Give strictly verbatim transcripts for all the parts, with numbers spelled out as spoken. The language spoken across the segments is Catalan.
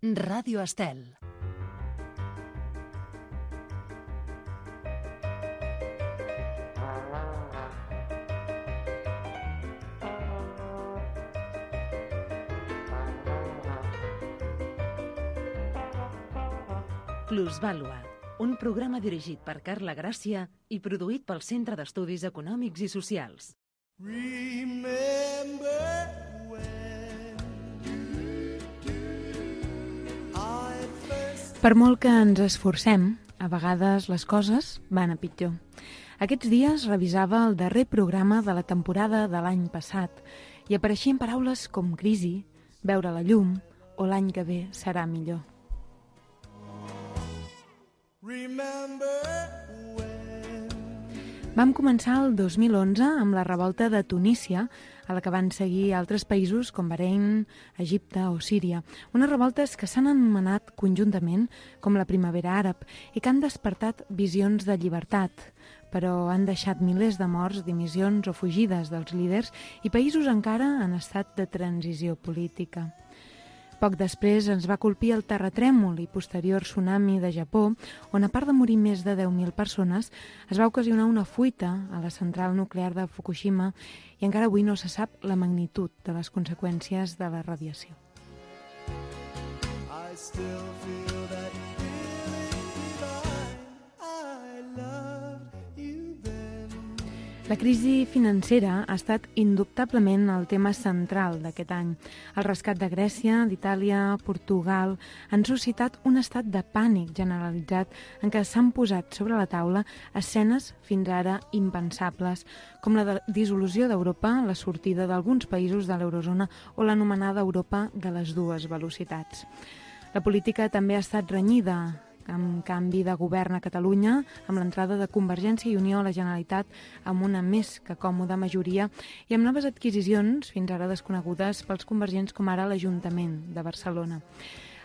Ràdio Estel. Plusvàlua, un programa dirigit per Carla Gràcia i produït pel Centre d'Estudis Econòmics i Socials. Per molt que ens esforcem, a vegades les coses van a pitjor. Aquests dies revisava el darrer programa de la temporada de l'any passat i apareixien paraules com crisi, veure la llum o l'any que ve serà millor. Vam començar el dos mil onze amb la revolta de Tunísia, a la que van seguir altres països com Bahrein, Egipte o Síria. Unes revoltes que s'han anomenat conjuntament com la primavera àrab i que han despertat visions de llibertat, però han deixat milers de morts, dimissions o fugides dels líders i països encara en estat de transició política. Poc després ens va colpir el terratrèmol i posterior tsunami de Japó, on a part de morir més de deu mil persones, es va ocasionar una fuita a la central nuclear de Fukushima i encara avui no se sap la magnitud de les conseqüències de la radiació. I still feel that La crisi financera ha estat indubtablement el tema central d'aquest any. El rescat de Grècia, d'Itàlia, Portugal han suscitat un estat de pànic generalitzat en què s'han posat sobre la taula escenes fins ara impensables, com la de dissolució d'Europa, la sortida d'alguns països de l'eurozona o l'anomenada Europa de les dues velocitats. La política també ha estat renyida, amb canvi de govern a Catalunya, amb l'entrada de Convergència i Unió a la Generalitat amb una més que còmoda majoria i amb noves adquisicions, fins ara desconegudes pels convergents com ara l'Ajuntament de Barcelona.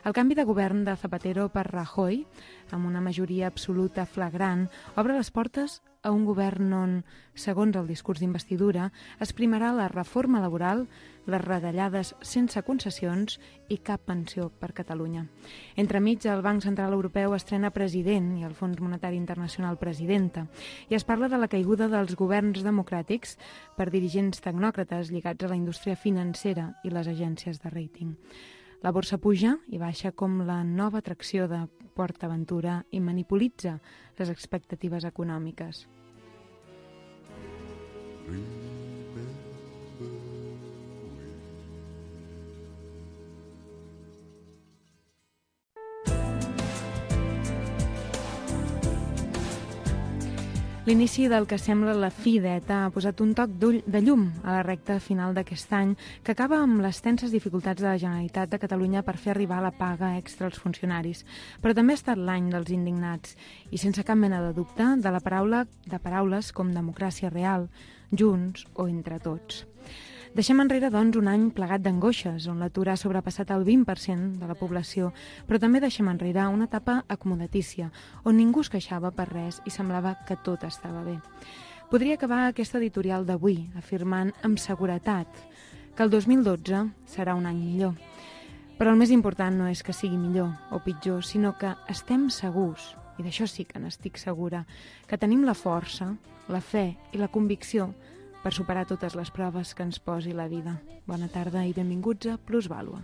El canvi de govern de Zapatero per Rajoy, amb una majoria absoluta flagrant, obre les portes a un govern on, segons el discurs d'investidura, es primarà la reforma laboral, les retallades sense concessions i cap pensió per Catalunya. Entremig, el Banc Central Europeu estrena president i el Fons Monetari Internacional presidenta, i es parla de la caiguda dels governs democràtics per dirigents tecnòcrates lligats a la indústria financera i les agències de rating. La borsa puja i baixa com la nova atracció de PortAventura i manipulatza les expectatives econòmiques. L'inici del que sembla la fi d'ETA ha posat un toc de llum a la recta final d'aquest any, que acaba amb les tenses dificultats de la Generalitat de Catalunya per fer arribar la paga extra als funcionaris. Però també ha estat l'any dels indignats i, sense cap mena de dubte, de la paraula de paraules com democràcia real, junts o entre tots. Deixem enrere, doncs, un any plegat d'angoixes, on l'atur ha sobrepassat el vint per cent de la població, però també deixem enrere una etapa acomodatícia, on ningú es queixava per res i semblava que tot estava bé. Podria acabar aquesta editorial d'avui afirmant amb seguretat que el dos mil dotze serà un any millor. Però el més important no és que sigui millor o pitjor, sinó que estem segurs, i d'això sí que n'estic segura, que tenim la força, la fe i la convicció per superar totes les proves que ens posi la vida. Bona tarda i benvinguts a Plusvàlua.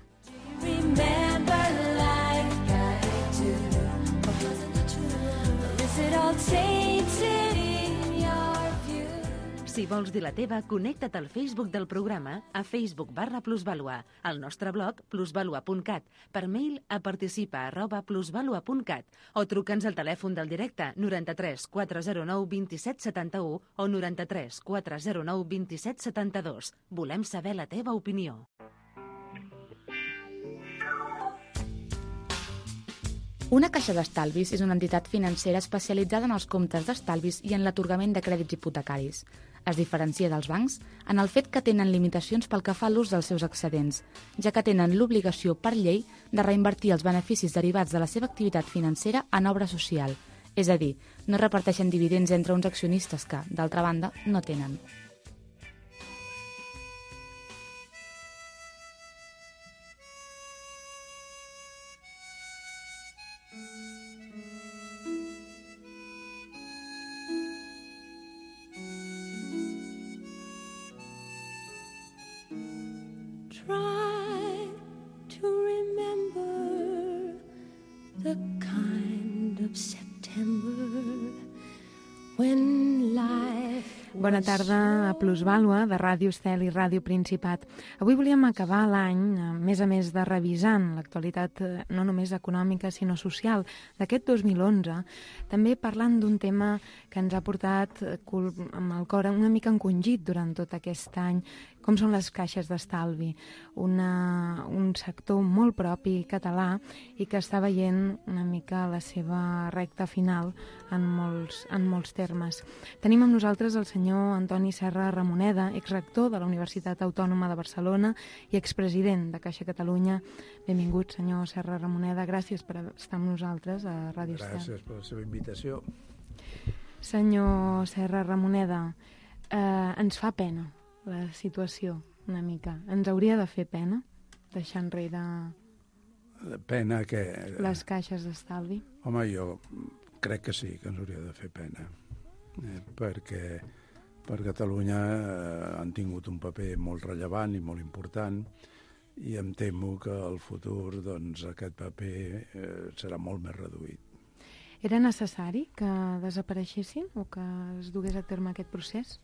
Si vols dir la teva, connecta't al Facebook del programa a Facebook barra Plusvàlua, al nostre blog plusvalua punt cat, per mail a participa arroba plusvalua punt cat o truca'ns al telèfon del directe noranta-tres quatre zero nou vint-i-set setanta-u o noranta-tres quatre zero nou vint-i-set setanta-dos. Volem saber la teva opinió. Una caixa d'estalvis és una entitat financera especialitzada en els comptes d'estalvis i en l'atorgament de crèdits hipotecaris. Es diferencia dels bancs en el fet que tenen limitacions pel que fa a l'ús dels seus excedents, ja que tenen l'obligació per llei de reinvertir els beneficis derivats de la seva activitat financera en obra social, és a dir, no reparteixen dividends entre uns accionistes que, d'altra banda, no tenen. the kind of September when life... Bona tarda a Plusvàlua, de Ràdio Estel i Ràdio Principat. Avui volíem acabar l'any, a més a més de revisant l'actualitat no només econòmica sinó social d'aquest dos mil onze, també parlant d'un tema que ens ha portat amb el cor una mica encongit durant tot aquest any, com són les caixes d'estalvi, una, un sector molt propi català i que està veient una mica la seva recta final en molts, en molts termes. Tenim amb nosaltres el senyor Antoni Serra Ramoneda, exrector de la Universitat Autònoma de Barcelona i expresident de Caixa Catalunya. Benvingut, senyor Serra Ramoneda. Gràcies per estar amb nosaltres a Ràdio Estel. Gràcies per la seva invitació. Senyor Serra Ramoneda, eh, ens fa pena la situació una mica. Ens hauria de fer pena deixar enrere pena que... les caixes d'estalvi? Home, jo crec que sí, que ens hauria de fer pena. Eh, perquè per Catalunya eh, han tingut un paper molt rellevant i molt important i em temo que al futur doncs, aquest paper eh, serà molt més reduït. Era necessari que desapareixessin o que es dugués a terme aquest procés?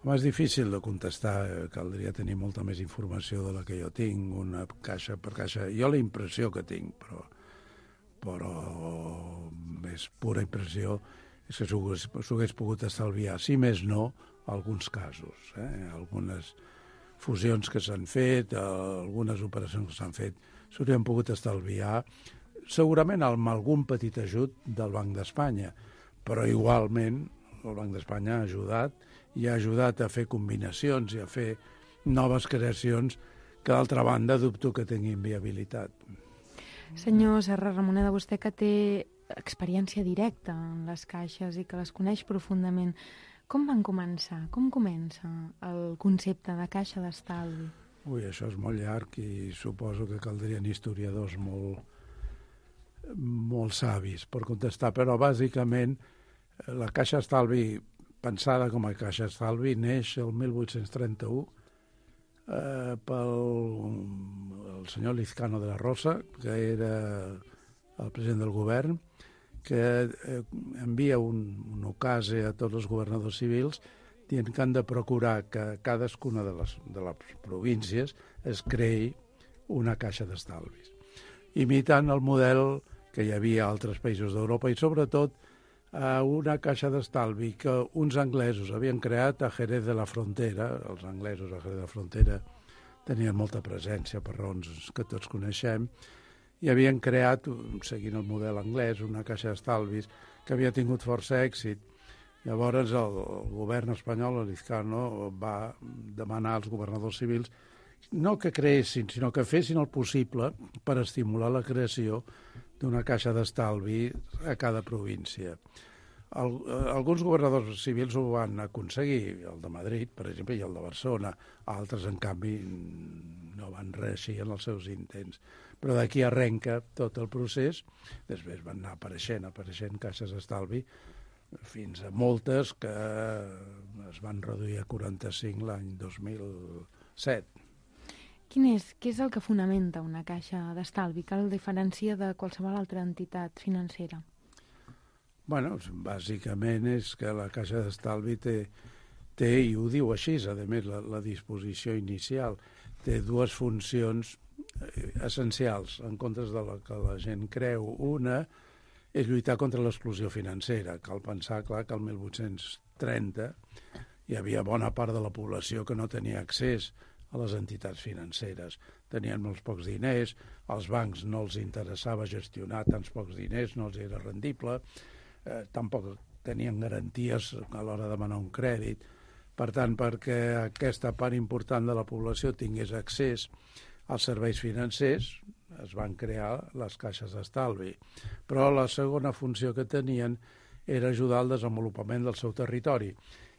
Home, és difícil de contestar, caldria tenir molta més informació de la que jo tinc, una caixa per caixa. Jo la impressió que tinc, però, però més pura impressió, és que s'ho hagués pogut estalviar, si més no, alguns casos. Eh? Algunes fusions que s'han fet, algunes operacions que s'han fet, s'haurien pogut estalviar, segurament amb algun petit ajut del Banc d'Espanya, però igualment el Banc d'Espanya ha ajudat i ha ajudat a fer combinacions i a fer noves creacions que, d'altra banda, dubto que tinguin viabilitat. Senyor Serra Ramoneda, vostè que té experiència directa en les caixes i que les coneix profundament, com van començar? Com comença el concepte de caixa d'estalvi? Ui, això és molt llarg i suposo que caldrien historiadors molt, molt savis per contestar, però bàsicament la caixa d'estalvi, pensada com a caixa d'estalvi, neix el mil vuit-cents trenta-u eh, pel el senyor Lizcano de la Rosa, que era el president del govern, que eh, envia un, un ocase a tots els governadors civils dient que han de procurar que cadascuna de les, de les províncies es creï una caixa d'estalvis, imitant el model que hi havia a altres països d'Europa i sobretot a una caixa d'estalvi que uns anglesos havien creat a Jerez de la Frontera. Els anglesos a Jerez de la Frontera tenien molta presència per raons que tots coneixem, i havien creat, seguint el model anglès, una caixa d'estalvis que havia tingut força èxit. Llavors el, el govern espanyol, el Lizcano, va demanar als governadors civils no que creessin, sinó que fessin el possible per estimular la creació d'una caixa d'estalvi a cada província. El, alguns governadors civils ho van aconseguir, el de Madrid, per exemple, i el de Barcelona. Altres, en canvi, no van reeixir en els seus intents. Però d'aquí arrenca tot el procés. Després van anar apareixent, apareixent caixes d'estalvi, fins a moltes que es van reduir a quaranta-cinc l'any dos mil set. Quin és, què és el que fonamenta una caixa d'estalvi? Que el diferencia de qualsevol altra entitat financera? Bueno, bàsicament és que la caixa d'estalvi té, té, i ho diu així, a més, la, la disposició inicial, té dues funcions essencials, en comptes de la que la gent creu. Una és lluitar contra l'exclusió financera. Cal pensar, clar, que el mil vuit-cents trenta hi havia bona part de la població que no tenia accés a les entitats financeres. Tenien molts pocs diners, als bancs no els interessava gestionar tants pocs diners, no els era rendible, eh, tampoc tenien garanties a l'hora de demanar un crèdit. Per tant, perquè aquesta part important de la població tingués accés als serveis financers, es van crear les caixes d'estalvi. Però la segona funció que tenien era ajudar al desenvolupament del seu territori.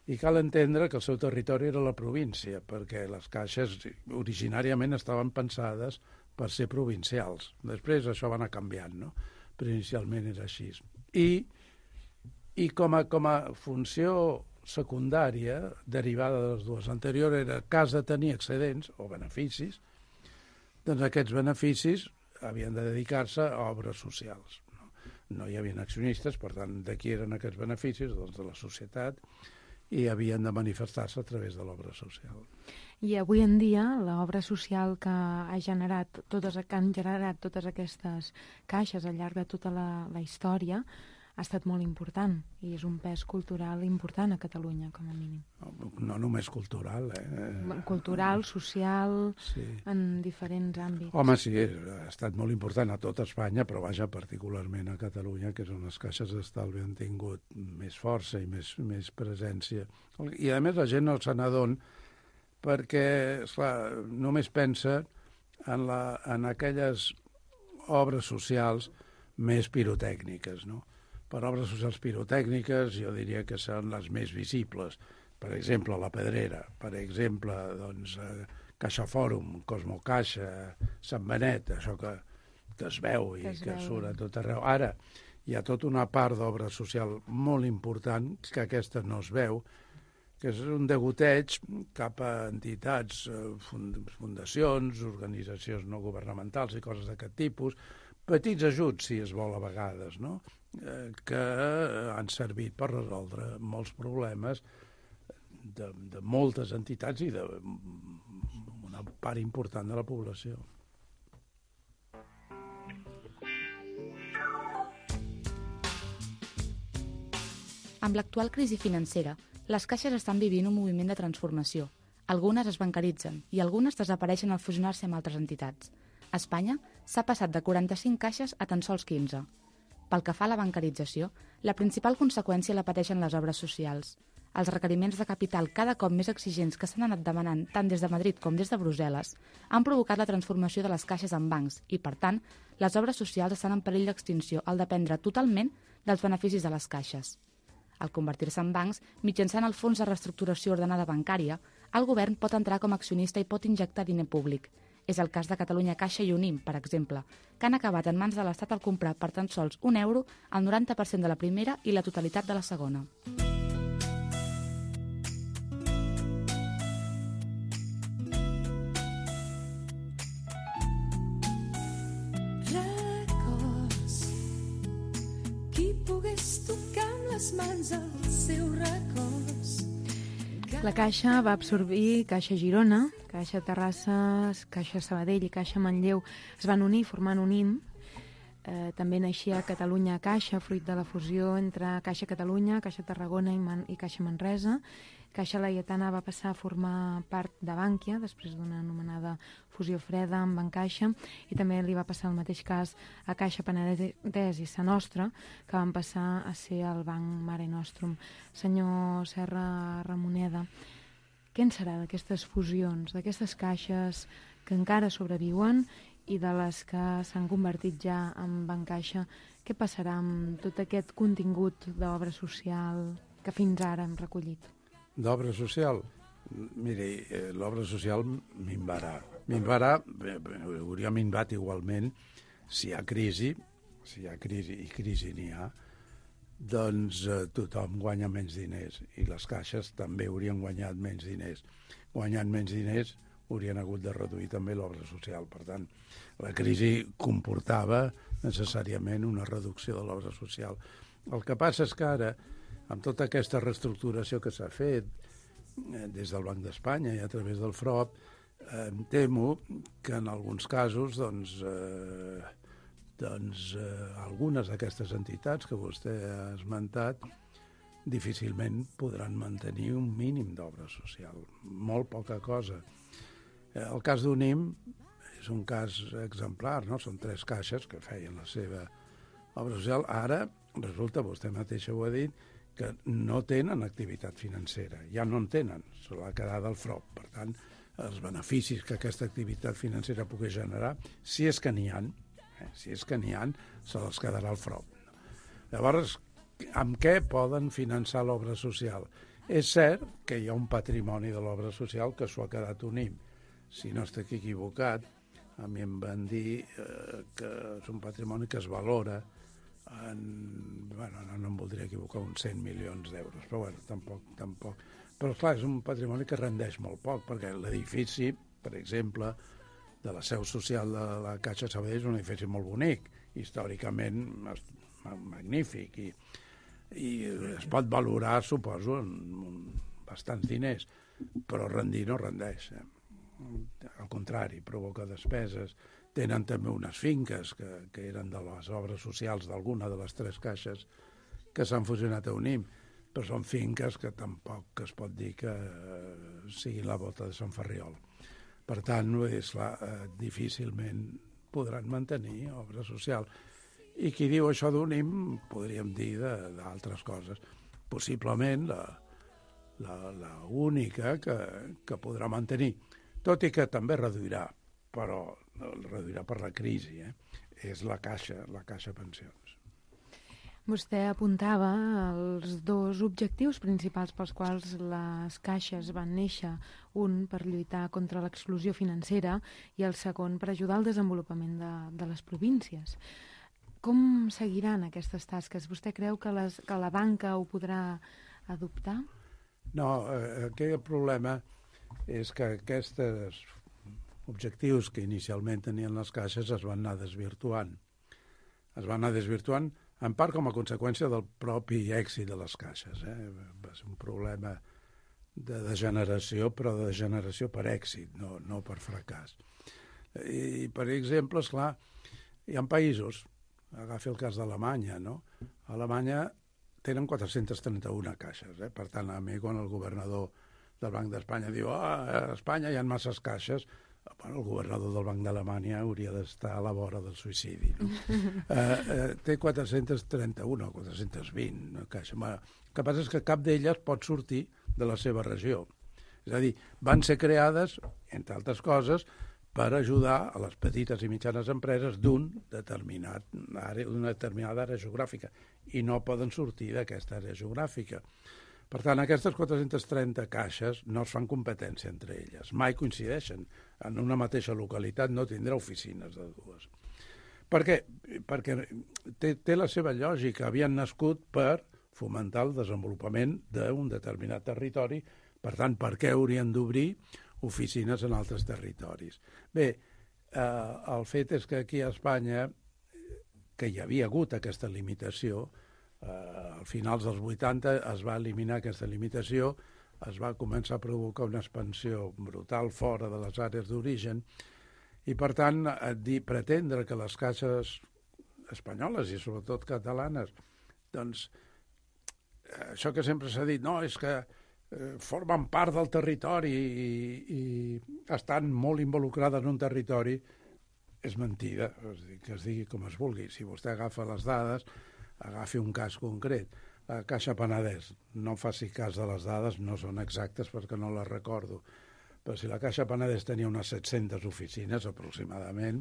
I cal entendre que el seu territori era la província, perquè les caixes originàriament estaven pensades per ser provincials. Després això va anar canviant, no? Però inicialment era així. I, i com, a, com a funció secundària, derivada de les dues anteriors, era cas de tenir excedents o beneficis, doncs aquests beneficis havien de dedicar-se a obres socials. no hi havia accionistes, per tant, de qui eren aquests beneficis? Doncs de la societat, i havien de manifestar-se a través de l'obra social. I avui en dia l'obra social que ha generat totes, que han generat totes aquestes caixes al llarg de tota la, la història ha estat molt important i és un pes cultural important a Catalunya, com a mínim. No, no només cultural, eh? Cultural, social, sí. En diferents àmbits. Home, sí, ha estat molt important a tota Espanya, però vaja, particularment a Catalunya, que és on les caixes d'estalvi han tingut més força i més, més presència. I a més la gent no se n'adona perquè, esclar, només pensa en, la, en aquelles obres socials més pirotècniques, no? Per obres socials pirotècniques jo diria que són les més visibles. Per exemple, la Pedrera, per exemple, doncs, eh, Caixa Fòrum, Cosmo Caixa, Sant Benet, això que, que es veu i que, que surt a tot arreu. Ara, hi ha tota una part d'obra social molt important que aquesta no es veu, que és un degoteig cap a entitats, fundacions, organitzacions no governamentals i coses d'aquest tipus, petits ajuts, si es vol, a vegades, no?, eh, que han servit per resoldre molts problemes de, de moltes entitats i d'una part important de la població. Amb l'actual crisi financera, les caixes estan vivint un moviment de transformació. Algunes es bancaritzen i algunes desapareixen al fusionar-se amb altres entitats. A Espanya s'ha passat de quaranta-cinc caixes a tan sols quinze. Pel que fa a la bancarització, la principal conseqüència la pateixen les obres socials. Els requeriments de capital cada cop més exigents que s'han anat demanant tant des de Madrid com des de Brussel·les han provocat la transformació de les caixes en bancs i, per tant, les obres socials estan en perill d'extinció al dependre totalment dels beneficis de les caixes. Al convertir-se en bancs, mitjançant el Fons de Reestructuració Ordenada Bancària, el govern pot entrar com a accionista i pot injectar diner públic. És el cas de Catalunya Caixa i Unim, per exemple, que han acabat en mans de l'Estat al comprar per tan sols un euro el noranta per cent de la primera i la totalitat de la segona. Records, qui pogués tocar amb les mans els seus records. La Caixa va absorbir Caixa Girona, Caixa Terrassa, Caixa Sabadell i Caixa Manlleu es van unir formant Unim. Eh, també naixia Catalunya Caixa, fruit de la fusió entre Caixa Catalunya, Caixa Tarragona i, Man i Caixa Manresa. Caixa Laietana va passar a formar part de Bànquia, després d'una anomenada fusió freda amb Bancaixa, i també li va passar el mateix cas a Caixa Penedès i Sa Nostra, que van passar a ser el Banc Mare Nostrum. Senyor Serra Ramoneda, què en serà d'aquestes fusions, d'aquestes caixes que encara sobreviuen i de les que s'han convertit ja en Bancaixa? Què passarà amb tot aquest contingut d'obra social que fins ara hem recollit? D'obra social? Miri, eh, l'obra social minvarà. Minvarà, eh, hauria minvat igualment si hi ha crisi, si hi ha crisi, i crisi n'hi ha, doncs eh, tothom guanya menys diners i les caixes també haurien guanyat menys diners. Guanyant menys diners haurien hagut de reduir també l'obra social. Per tant, la crisi comportava necessàriament una reducció de l'obra social. El que passa és que ara, amb tota aquesta reestructuració que s'ha fet eh, des del Banc d'Espanya i a través del F R O P, eh, em temo que en alguns casos doncs, eh, doncs eh, algunes d'aquestes entitats que vostè ha esmentat difícilment podran mantenir un mínim d'obra social, molt poca cosa. Eh, el cas d'Unim és un cas exemplar, no? Són tres caixes que feien la seva obra social. Ara resulta, vostè mateixa ho ha dit, que no tenen activitat financera, ja no en tenen, se l'ha quedat del F R O P. Per tant, els beneficis que aquesta activitat financera pugui generar, si és que n'hi ha, eh, si és que n'hi ha, se les quedarà el F R O P. Llavors, amb què poden finançar l'obra social? És cert que hi ha un patrimoni de l'obra social que s'ho ha quedat Unim. Si no estic equivocat, a mi em van dir eh, que és un patrimoni que es valora en, bueno, no, no em voldria equivocar, uns cent milions d'euros, però bueno, tampoc, tampoc. Però clar, és un patrimoni que rendeix molt poc, perquè l'edifici, per exemple, de la seu social de la Caixa Sabadell és un edifici molt bonic. Històricament magnífic, i, i es pot valorar, suposo, amb bastants diners, però rendir no rendeix. Eh? Al contrari, provoca despeses. Tenen també unes finques que, que eren de les obres socials d'alguna de les tres caixes que s'han fusionat a Unim, però són finques que tampoc es pot dir que eh, siguin la bota de Sant Ferriol. Per tant, és clar, eh, difícilment podran mantenir obra social. I qui diu això d'Unim, podríem dir d'altres coses. Possiblement la, la, la única que, que podrà mantenir, tot i que també reduirà, però el reduirà per la crisi, eh? És la Caixa, la Caixa Pensions. Vostè apuntava els dos objectius principals pels quals les caixes van néixer, un per lluitar contra l'exclusió financera i el segon per ajudar al desenvolupament de, de les províncies. Com seguiran aquestes tasques? Vostè creu que, les, que la banca ho podrà adoptar? No, eh, aquest problema és que aquests objectius que inicialment tenien les caixes es van anar desvirtuant. Es van anar desvirtuant en part com a conseqüència del propi èxit de les caixes. Eh? Va ser un problema de degeneració, però de degeneració per èxit, no, no per fracàs. I, per exemple, esclar, hi ha països, agafi el cas d'Alemanya, no? A Alemanya tenen quatre-centes trenta-una caixes, eh? Per tant, a mi, quan el governador del Banc d'Espanya diu ah, a Espanya hi ha masses caixes, bueno, el governador del Banc d'Alemanya hauria d'estar a la vora del suïcidi. No? eh, eh, té quatre-centes trenta-una o quatre-centes vint no, caixes. El que passa és que cap d'elles pot sortir de la seva regió. És a dir, van ser creades, entre altres coses, per ajudar a les petites i mitjanes empreses d'un determinat àrea, d'una determinada àrea geogràfica, i no poden sortir d'aquesta àrea geogràfica. Per tant, aquestes quatre-centes trenta caixes no es fan competència entre elles, mai coincideixen. En una mateixa localitat no tindrà oficines de dues. Per què? Perquè té, té la seva lògica, havien nascut per fomentar el desenvolupament d'un determinat territori, per tant, per què haurien d'obrir oficines en altres territoris? Bé, eh, el fet és que aquí a Espanya, que hi havia hagut aquesta limitació, Uh, al finals dels vuitanta es va eliminar aquesta limitació, es va començar a provocar una expansió brutal fora de les àrees d'origen i, per tant, dir, pretendre que les caixes espanyoles i sobretot catalanes, doncs, això que sempre s'ha dit, no, és que eh, formen part del territori i, i estan molt involucrades en un territori, és mentida, és dir, que es digui com es vulgui. Si vostè agafa les dades, agafi un cas concret. La Caixa Penedès, no faci cas de les dades, no són exactes perquè no les recordo, però si la Caixa Penedès tenia unes set-centes oficines aproximadament,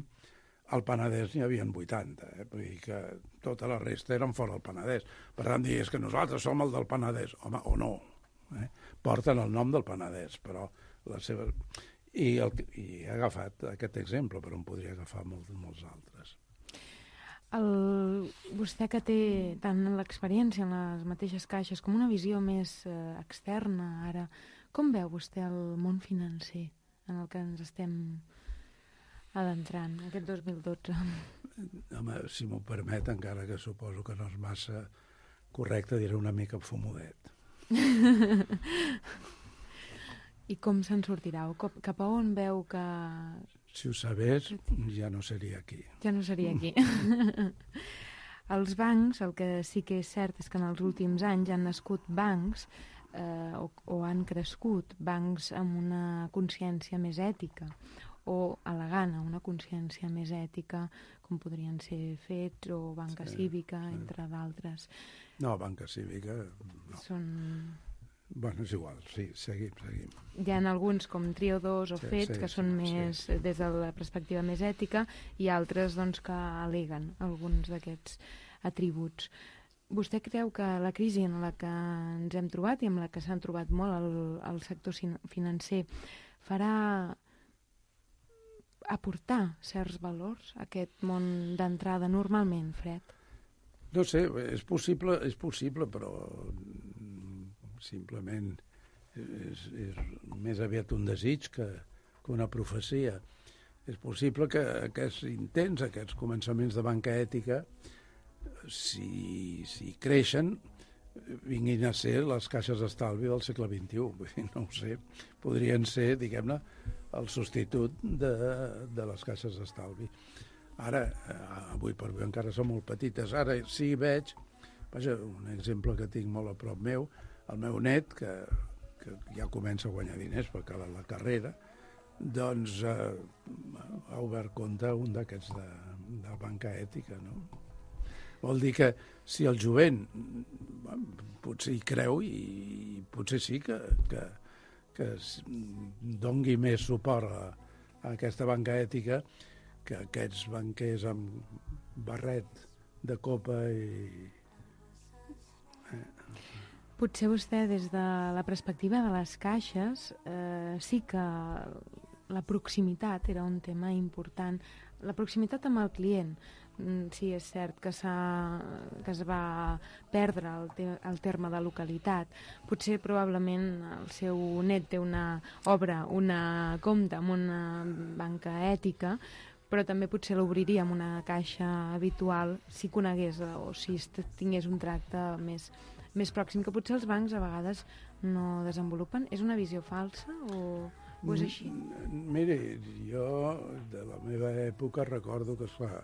al Penedès n'hi havia vuitanta, eh? Vull dir que tota la resta eren fora del Penedès. Per tant, dir, és que nosaltres som el del Penedès, home, o no. Eh? Porten el nom del Penedès, però la seva... I, el... I he agafat aquest exemple, però en podria agafar molts, molts altres. El, vostè que té tant l'experiència en les mateixes caixes com una visió més eh, externa ara, com veu vostè el món financer en el que ens estem adentrant aquest dos mil dotze? Home, si m'ho permet, encara que suposo que no és massa correcte, diré una mica fumodet. I com se'n sortirà? O cap a on veu que... Si ho sabés, ja no seria aquí. Ja no seria aquí. Els bancs, el que sí que és cert és que en els últims anys han nascut bancs eh, o, o han crescut bancs amb una consciència més ètica o elegant, una consciència més ètica, com podrien ser Fets o Banca sí, Cívica, sí. Entre d'altres. No, Banca Cívica no. Són... Bueno, és igual, sí, seguim, seguim. Hi ha alguns com Trio dos o sí, Fets sí, que són sí, més sí. Des de la perspectiva més ètica i altres doncs, que aleguen alguns d'aquests atributs. Vostè creu que la crisi en la que ens hem trobat i en la que s'han trobat molt el, el sector financer farà aportar certs valors a aquest món d'entrada normalment, Fred? No sé, és possible, és possible, però simplement és, és més aviat un desig que, que una profecia. És possible que aquests intents, aquests començaments de banca ètica si, si creixen, vinguin a ser les caixes d'estalvi del segle vint-i-u. Vull dir, no ho sé, podrien ser, diguem-ne, el substitut de, de les caixes d'estalvi. Ara, avui per avui encara són molt petites. Ara sí veig, vaja, un exemple que tinc molt a prop meu, el meu net, que, que ja comença a guanyar diners per acabar la carrera, doncs eh, ha obert compte un d'aquests de, de banca ètica, no? Vol dir que si el jovent potser hi creu i potser sí que, que, que dongui més suport a, a aquesta banca ètica que aquests banquers amb barret de copa i... Eh. Potser vostè, des de la perspectiva de les caixes, eh, sí que la proximitat era un tema important. La proximitat amb el client. Sí, és cert que, que es va perdre el, te el terme de localitat. Potser, probablement, el seu net té una obra, una compte amb una banca ètica, però també potser l'obriria amb una caixa habitual si conegués o si tingués un tracte més, més pròxim, que potser els bancs a vegades no desenvolupen. És una visió falsa o, o és així? Mire, jo de la meva època recordo que, esclar,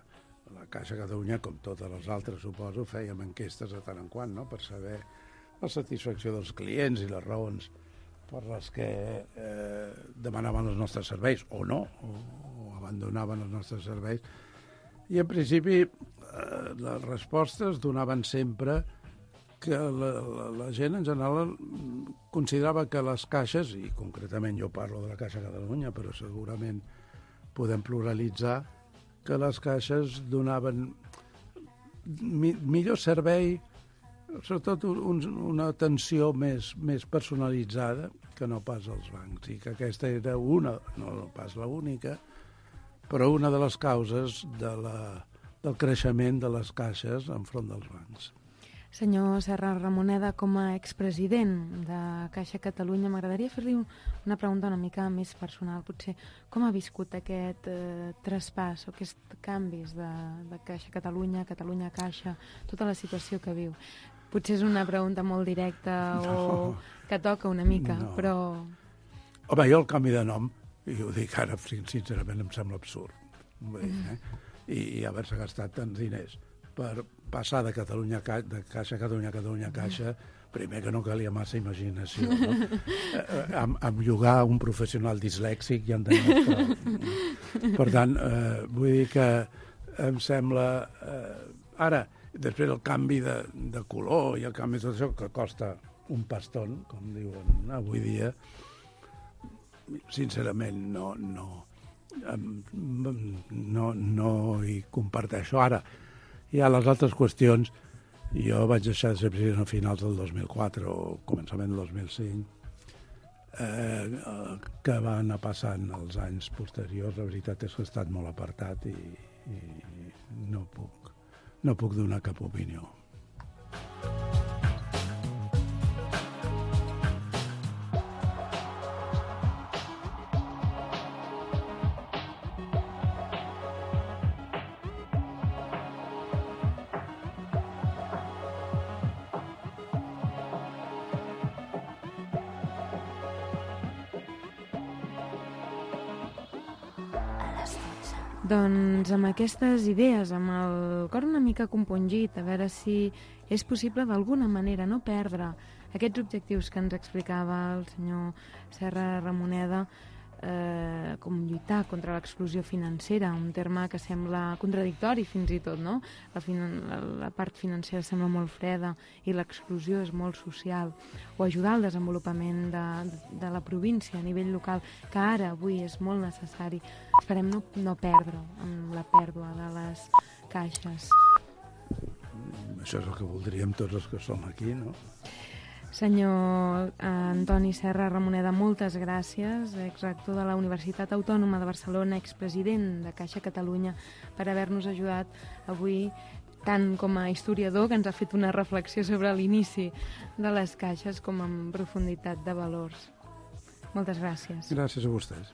la Caixa Catalunya, com totes les altres, suposo, fèiem enquestes de tant en quant, no?, per saber la satisfacció dels clients i les raons per les que eh, demanaven els nostres serveis, o no, o, o abandonaven els nostres serveis. I, en principi, eh, les respostes donaven sempre que la, la, la gent, en general, considerava que les caixes, i concretament jo parlo de la Caixa Catalunya, però segurament podem pluralitzar, que les caixes donaven mi, millor servei, sobretot un, una atenció més, més personalitzada que no pas als bancs, i que aquesta era una, no pas l'única, però una de les causes de la, del creixement de les caixes enfront dels bancs. Senyor Serra Ramoneda, com a expresident de Caixa Catalunya, m'agradaria fer-li una pregunta una mica més personal. Potser com ha viscut aquest eh, traspàs o aquests canvis de, de Caixa Catalunya, Catalunya Caixa, tota la situació que viu? Potser és una pregunta molt directa no, o que toca una mica, no. Però... Home, jo el canvi de nom, i ho dic ara, sincerament, em sembla absurd. Vull dir, eh? I, i haver-se gastat tants diners per passar de Catalunya de Caixa a Catalunya a Catalunya a Caixa, primer que no calia massa imaginació, no? eh, amb, amb llogar un professional dislèxic ja entenem que... Per tant, eh, vull dir que em sembla... Eh, ara, després el canvi de, de color i el canvi de tot això, que costa un paston, com diuen avui dia, sincerament no, no, no, no hi comparteixo. Ara, hi ha les altres qüestions. Jo vaig deixar de ser president a finals del dos mil quatre o començament del dos mil cinc, eh, que van anar passant els anys posteriors. La veritat és que he estat molt apartat i, i no puc, no puc donar cap opinió. Doncs amb aquestes idees, amb el cor una mica compungit, a veure si és possible d'alguna manera no perdre aquests objectius que ens explicava el senyor Serra Ramoneda, eh, com lluitar contra l'exclusió financera, un terme que sembla contradictori fins i tot, no? La, la, la part financera sembla molt freda i l'exclusió és molt social, o ajudar al desenvolupament de, de la província a nivell local, que ara, avui, és molt necessari. Esperem no, no perdre amb la pèrdua de les caixes. Això és el que voldríem tots els que som aquí, no? Senyor Antoni Serra Ramoneda, moltes gràcies, exrector de la Universitat Autònoma de Barcelona, expresident de Caixa Catalunya, per haver-nos ajudat avui, tant com a historiador, que ens ha fet una reflexió sobre l'inici de les caixes, com en profunditat de valors. Moltes gràcies. Gràcies a vostès.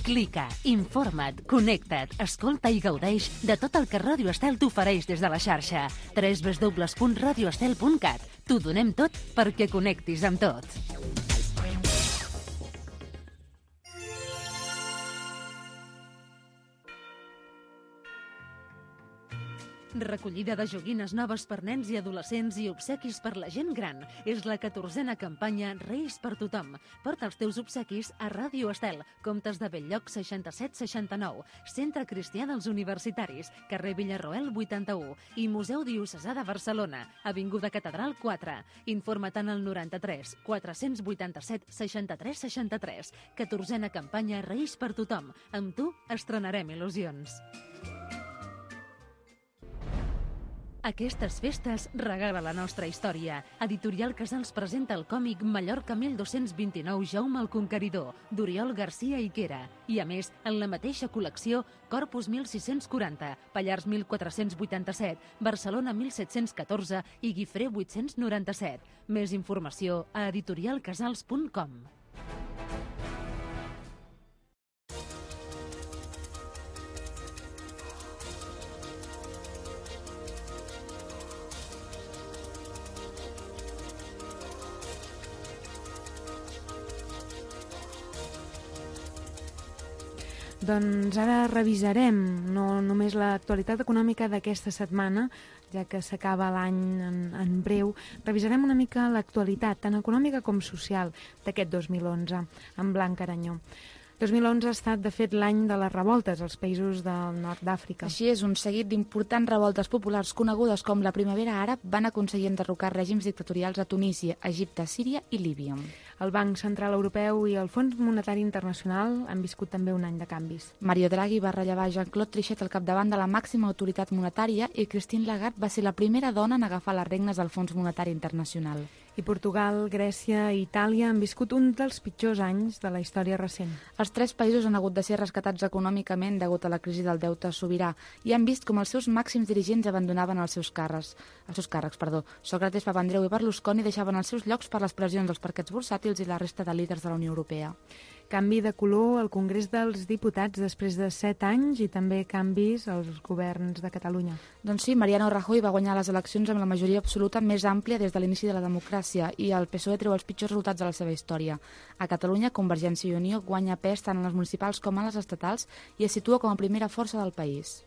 Clica, informa't, connecta't, escolta i gaudeix de tot el que Ràdio Estel t'ofereix des de la xarxa. w w w punt radio estel punt cat. T'ho donem tot perquè connectis amb tot. Recollida de joguines noves per nens i adolescents i obsequis per la gent gran. És la catorzena campanya Reis per tothom. Porta els teus obsequis a Ràdio Estel, Comtes de Bell-lloc seixanta-set seixanta-nou, Centre Cristià dels Universitaris, carrer Villarroel vuitanta-u i Museu Diocesà de Barcelona, Avinguda Catedral quatre. Informa't en el noranta-tres quatre-cents vuitanta-set seixanta-tres seixanta-tres. catorzena campanya Reis per tothom. Amb tu estrenarem il·lusions. Aquestes festes regala la nostra història. Editorial Casals presenta el còmic Mallorca mil dos-cents vint-i-nou Jaume el Conqueridor, d'Oriol Garcia i Quera. I a més, en la mateixa col·lecció, Corpus mil sis-cents quaranta, Pallars mil quatre-cents vuitanta-set, Barcelona mil set-cents catorze i Guifré vuit-cents noranta-set. Més informació a editorial casals punt com. Doncs ara revisarem no només l'actualitat econòmica d'aquesta setmana, ja que s'acaba l'any en, en breu, revisarem una mica l'actualitat, tant econòmica com social, d'aquest dos mil onze, amb Blanca Aranyó. dos mil onze ha estat, de fet, l'any de les revoltes als països del nord d'Àfrica. Així és, un seguit d'importants revoltes populars conegudes com la Primavera Àrab van aconseguir enderrocar règims dictatorials a Tunísia, Egipte, Síria i Líbia. El Banc Central Europeu i el Fons Monetari Internacional han viscut també un any de canvis. Mario Draghi va rellevar Jean-Claude Trichet al capdavant de la màxima autoritat monetària i Christine Lagarde va ser la primera dona en agafar les regnes del Fons Monetari Internacional. I Portugal, Grècia i Itàlia han viscut un dels pitjors anys de la història recent. Els tres països han hagut de ser rescatats econòmicament degut a la crisi del deute sobirà i han vist com els seus màxims dirigents abandonaven els seus càrrecs. Els seus càrrecs, perdó. Sócrates, Papandreou i Berlusconi deixaven els seus llocs per les pressions dels parquets bursàtils i la resta de líders de la Unió Europea. Canvi de color al Congrés dels Diputats després de set anys i també canvis als governs de Catalunya. Doncs sí, Mariano Rajoy va guanyar les eleccions amb la majoria absoluta més àmplia des de l'inici de la democràcia i el P S O E treu els pitjors resultats de la seva història. A Catalunya, Convergència i Unió guanya pes tant en les municipals com en les estatals i es situa com a primera força del país.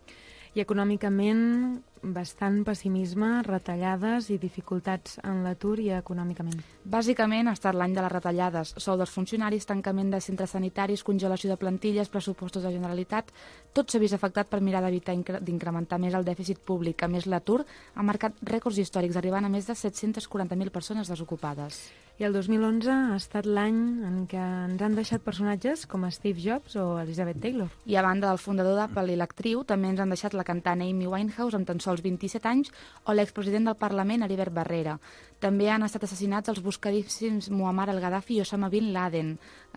I econòmicament, bastant pessimisme, retallades i dificultats en l'atur i econòmicament. Bàsicament ha estat l'any de les retallades, sou dels funcionaris, tancament de centres sanitaris, congelació de plantilles, pressupostos de Generalitat, tot s'ha vist afectat per mirar d'evitar d'incrementar més el dèficit públic. A més, l'atur ha marcat rècords històrics, arribant a més de set-cents quaranta mil persones desocupades. I el dos mil onze ha estat l'any en què ens han deixat personatges com Steve Jobs o Elizabeth Taylor. I a banda del fundador d'Apple i l'actriu, també ens han deixat la cantant Amy Winehouse amb tan sols vint-i-set anys o l'expresident del Parlament Heribert Barrera. També han estat assassinats els buscadíssims Muammar al-Gaddafi i Osama Bin Laden,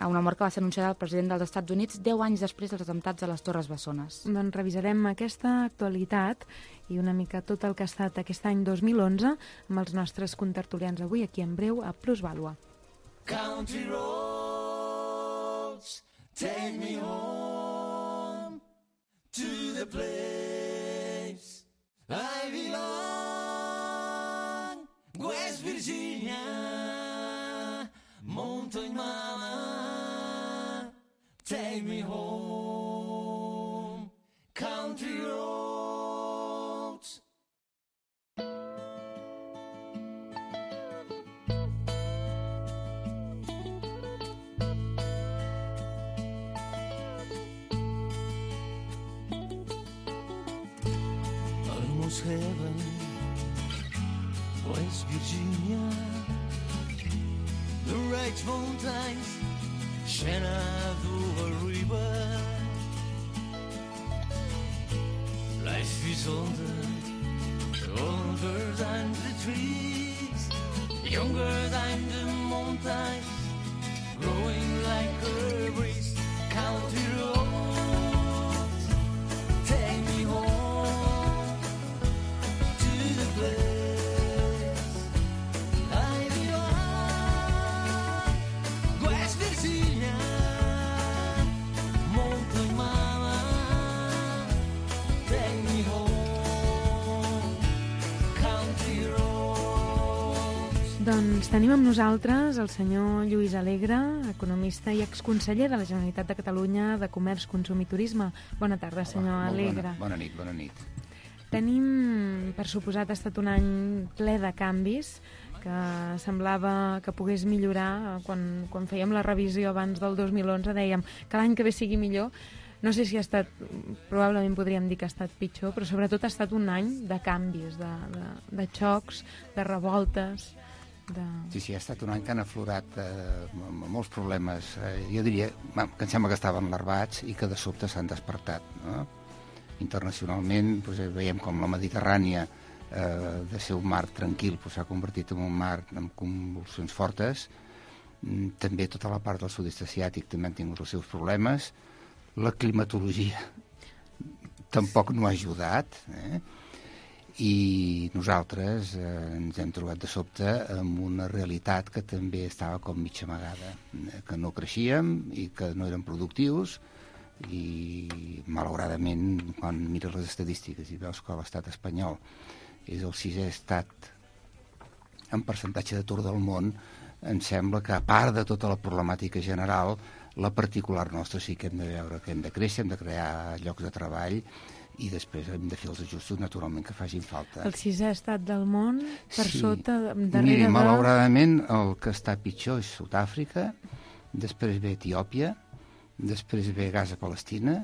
una mort que va ser anunciada al president dels Estats Units deu anys després dels atemptats a les Torres Bessones. Doncs revisarem aquesta actualitat i una mica tot el que ha estat aquest any dos mil onze amb els nostres contertulians avui aquí en breu a Plusvàlua. Country roads, take me home to the place I belong, West Virginia, Mountain Mama, take me home, country roads. Almost heaven, West Virginia, the Wright Mountains, Shenandoah River. Life is older, older than the trees, younger than the mountains, growing like a breeze. Country roads, take me home to the place I belong, West Virginia, Doncs tenim amb nosaltres el senyor Lluís Alegre, economista i exconseller de la Generalitat de Catalunya de Comerç, Consum i Turisme. Bona tarda, senyor Hola, Alegre. Bona, bona nit, bona nit. Tenim, per suposat, ha estat un any ple de canvis, que semblava que pogués millorar. Quan, quan fèiem la revisió abans del dos mil onze dèiem que l'any que ve sigui millor. No sé si ha estat, probablement podríem dir que ha estat pitjor, però sobretot ha estat un any de canvis, de, de, de xocs, de revoltes. De... Sí, sí, ha estat un any que han aflorat eh, molts problemes. Eh, jo diria que em sembla que estaven larvats i que de sobte s'han despertat. No? Internacionalment doncs, veiem com la Mediterrània, eh, de ser un mar tranquil, s'ha doncs, convertit en un mar amb convulsions fortes. Mm, també tota la part del sud-est asiàtic també han tingut els seus problemes. La climatologia tampoc no ha ajudat, eh? I nosaltres eh, ens hem trobat de sobte amb una realitat que també estava com mig amagada, eh, que no creixíem i que no érem productius i, malauradament, quan mires les estadístiques i veus que l'estat espanyol és el sisè estat en percentatge d'atur del món, em sembla que, a part de tota la problemàtica general, la particular nostra sí que hem de veure que hem de créixer, hem de crear llocs de treball i després hem de fer els ajustos, naturalment, que facin falta. El sisè estat del món, per sí. sota, darrere Miri, de... malauradament, el que està pitjor és Sud-àfrica, després ve Etiòpia, després ve Gaza-Palestina,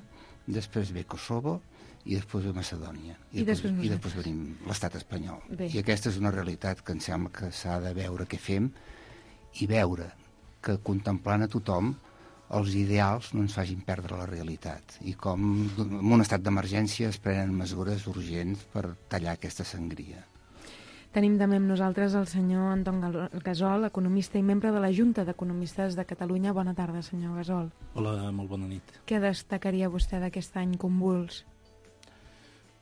després ve Kosovo i després ve Macedònia. I, I després, després, i després venim l'estat espanyol. Bé. I aquesta és una realitat que em sembla que s'ha de veure què fem i veure que contemplant a tothom els ideals no ens facin perdre la realitat i com en un estat d'emergència es prenen mesures urgents per tallar aquesta sangria. Tenim també amb nosaltres el senyor Anton Gasol, economista i membre de la Junta d'Economistes de Catalunya. Bona tarda, senyor Gasol. Hola, molt bona nit. Què destacaria vostè d'aquest any convuls?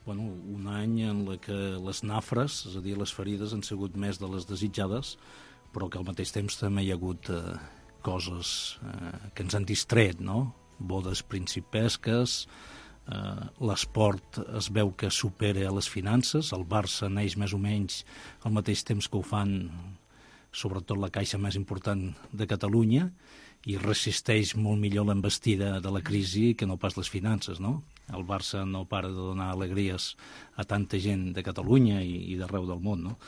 Bueno, un any en la que les nafres, és a dir, les ferides, han sigut més de les desitjades, però que al mateix temps també hi ha hagut eh, coses eh, que ens han distret, no? Bodes principesques, eh, l'esport es veu que supera a les finances, el Barça neix més o menys al mateix temps que ho fan sobretot la caixa més important de Catalunya i resisteix molt millor l'embestida de la crisi que no pas les finances, no? El Barça no para de donar alegries a tanta gent de Catalunya i, i d'arreu del món, no?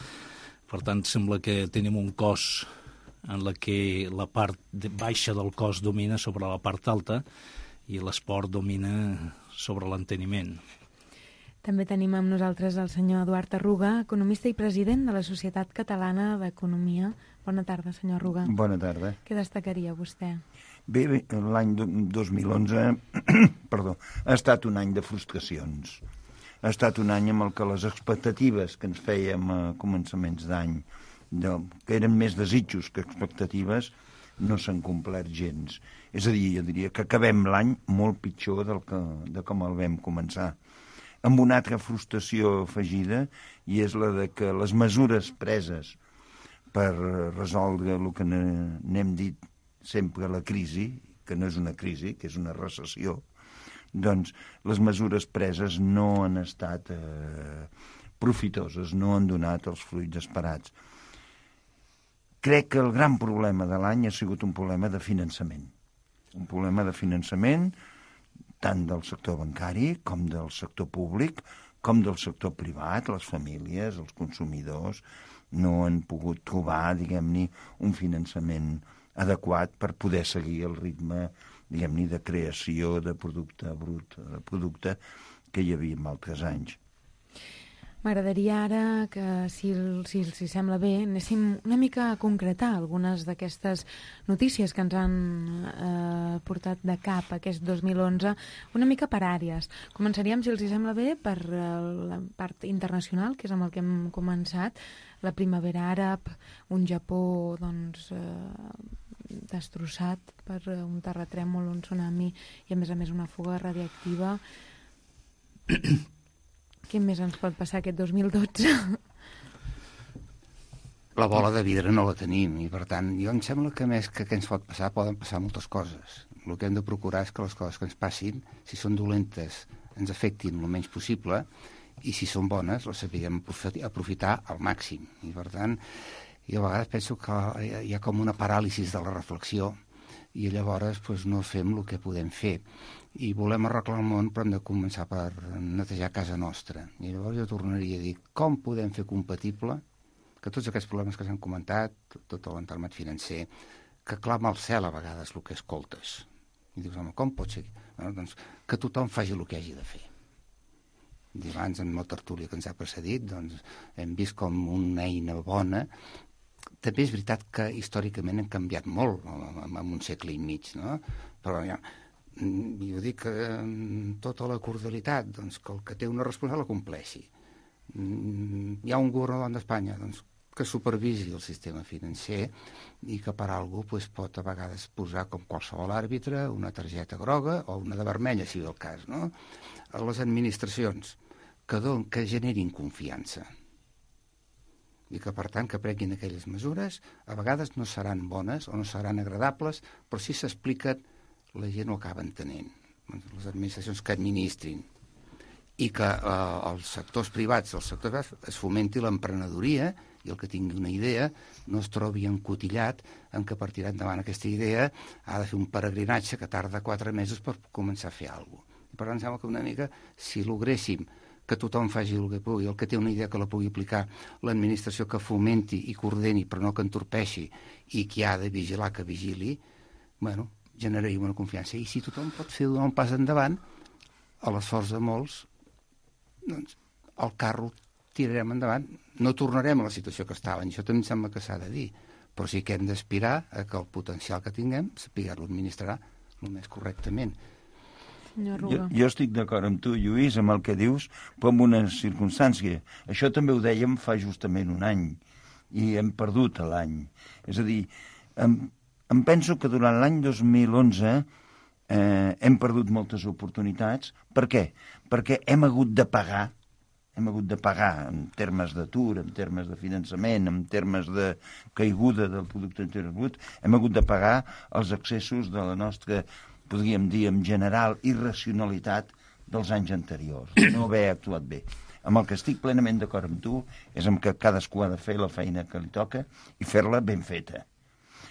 Per tant, sembla que tenim un cos en la que la part de baixa del cos domina sobre la part alta i l'esport domina sobre l'enteniment. També tenim amb nosaltres el senyor Eduard Arruga, economista i president de la Societat Catalana d'Economia. Bona tarda, senyor Arruga. Bona tarda. Què destacaria vostè? Bé, bé l'any dos mil onze perdó, ha estat un any de frustracions. Ha estat un any amb el que les expectatives que ens fèiem a començaments d'any, que eren més desitjos que expectatives, no s'han complert gens. És a dir, jo diria que acabem l'any molt pitjor del que, de com el vam començar. Amb una altra frustració afegida, i és la de que les mesures preses per resoldre el que n'hem dit sempre la crisi, que no és una crisi, que és una recessió, doncs les mesures preses no han estat eh, profitoses, no han donat els fruits esperats. Crec que el gran problema de l'any ha sigut un problema de finançament. Un problema de finançament tant del sector bancari com del sector públic, com del sector privat, les famílies, els consumidors, no han pogut trobar, diguem-ne, un finançament adequat per poder seguir el ritme, diguem-ne, de creació de producte brut, de producte que hi havia en altres anys. M'agradaria ara que, si, si, si sembla bé, anéssim una mica a concretar algunes d'aquestes notícies que ens han eh, portat de cap aquest dos mil onze, una mica per àrees. Començaríem, si els sembla bé, per eh, la part internacional, que és amb el que hem començat, la primavera àrab, un Japó, doncs, eh, destrossat per un terratrèmol, un tsunami i, a més a més, una fuga radiactiva. Què més ens pot passar aquest dos mil dotze? La bola de vidre no la tenim i, per tant, jo em sembla que més que què ens pot passar, poden passar moltes coses. El que hem de procurar és que les coses que ens passin, si són dolentes, ens afectin el menys possible i, si són bones, les sapiguem aprofitar al màxim. I, per tant, i a vegades penso que hi ha com una paràlisi de la reflexió i llavors doncs, no fem el que podem fer. I volem arreglar el món, però hem de començar per netejar casa nostra. I llavors jo tornaria a dir, com podem fer compatible que tots aquests problemes que s'han comentat, tot l'entramat financer, que clama al cel a vegades el que escoltes. I dius, home, com pot ser? Bueno, doncs, que tothom faci el que hagi de fer. I abans, en la tertúlia que ens ha precedit, doncs, hem vist com una eina bona. També és veritat que històricament hem canviat molt en un segle i mig, no? Però ja, jo dic que tota la cordialitat, doncs, que el que té una responsable la compleixi. Hi ha un governador d'Espanya, doncs, que supervisi el sistema financer i que per alguna cosa doncs, pot a vegades posar com qualsevol àrbitre una targeta groga o una de vermella, si ve el cas, no? A les administracions que, don, que generin confiança i que, per tant, que prenguin aquelles mesures, a vegades no seran bones o no seran agradables, però si s'expliquen, la gent ho acaba entenent. Les administracions que administrin i que eh, els sectors privats, els sectors privats es fomenti l'emprenedoria i el que tingui una idea no es trobi encotillat en què per tirar endavant aquesta idea ha de fer un peregrinatge que tarda quatre mesos per començar a fer alguna cosa. I per tant, sembla que una mica, si logréssim que tothom faci el que pugui, el que té una idea que la pugui aplicar, l'administració que fomenti i coordeni però no que entorpeixi i qui ha de vigilar que vigili, bueno, generaríem una confiança. I si tothom pot fer un pas endavant, a l'esforç de molts, doncs el carro tirarem endavant. No tornarem a la situació que estàvem, això també em sembla que s'ha de dir, però sí que hem d'aspirar a que el potencial que tinguem sapiguem-lo administrar el més correctament. Jo, jo estic d'acord amb tu, Lluís, amb el que dius, però amb una circumstància. Això també ho dèiem fa justament un any, i hem perdut l'any. És a dir, em, em penso que durant l'any dos mil onze eh, hem perdut moltes oportunitats. Per què? Perquè hem hagut de pagar, hem hagut de pagar en termes d'atur, en termes de finançament, en termes de caiguda del producte interior brut, hem hagut de pagar els excessos de la nostra, podríem dir, en general, irracionalitat dels anys anteriors, no haver actuat bé. Amb el que estic plenament d'acord amb tu és amb que cadascú ha de fer la feina que li toca i fer-la ben feta.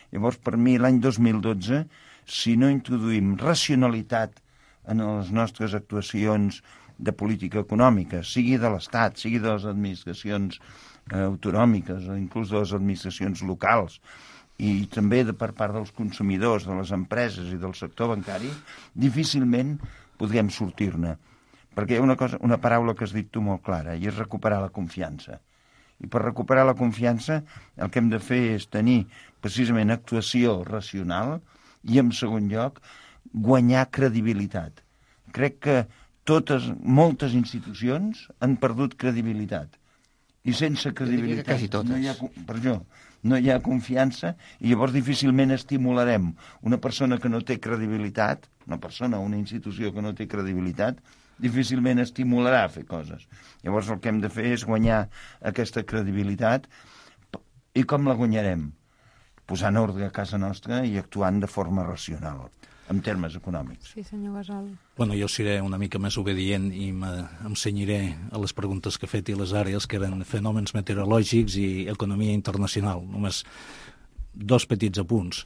Llavors, per mi, l'any dos mil dotze, si no introduïm racionalitat en les nostres actuacions de política econòmica, sigui de l'Estat, sigui de les administracions eh, autonòmiques o inclús de les administracions locals, i també de per part dels consumidors, de les empreses i del sector bancari, difícilment podríem sortir-ne. Perquè hi ha una, cosa, una paraula que has dit tu molt clara, i és recuperar la confiança. I per recuperar la confiança el que hem de fer és tenir precisament actuació racional i, en segon lloc, guanyar credibilitat. Crec que totes, moltes institucions han perdut credibilitat. I sense credibilitat quasi totes. No hi ha, per això, no hi ha confiança i llavors difícilment estimularem una persona que no té credibilitat, una persona o una institució que no té credibilitat, difícilment estimularà a fer coses. Llavors el que hem de fer és guanyar aquesta credibilitat. I com la guanyarem? Posant ordre a casa nostra i actuant de forma racional, en termes econòmics. Sí, senyor Gasol. Bueno, jo seré una mica més obedient i em cenyiré a les preguntes que ha fet i les àrees, que eren fenòmens meteorològics i economia internacional. Només dos petits apunts.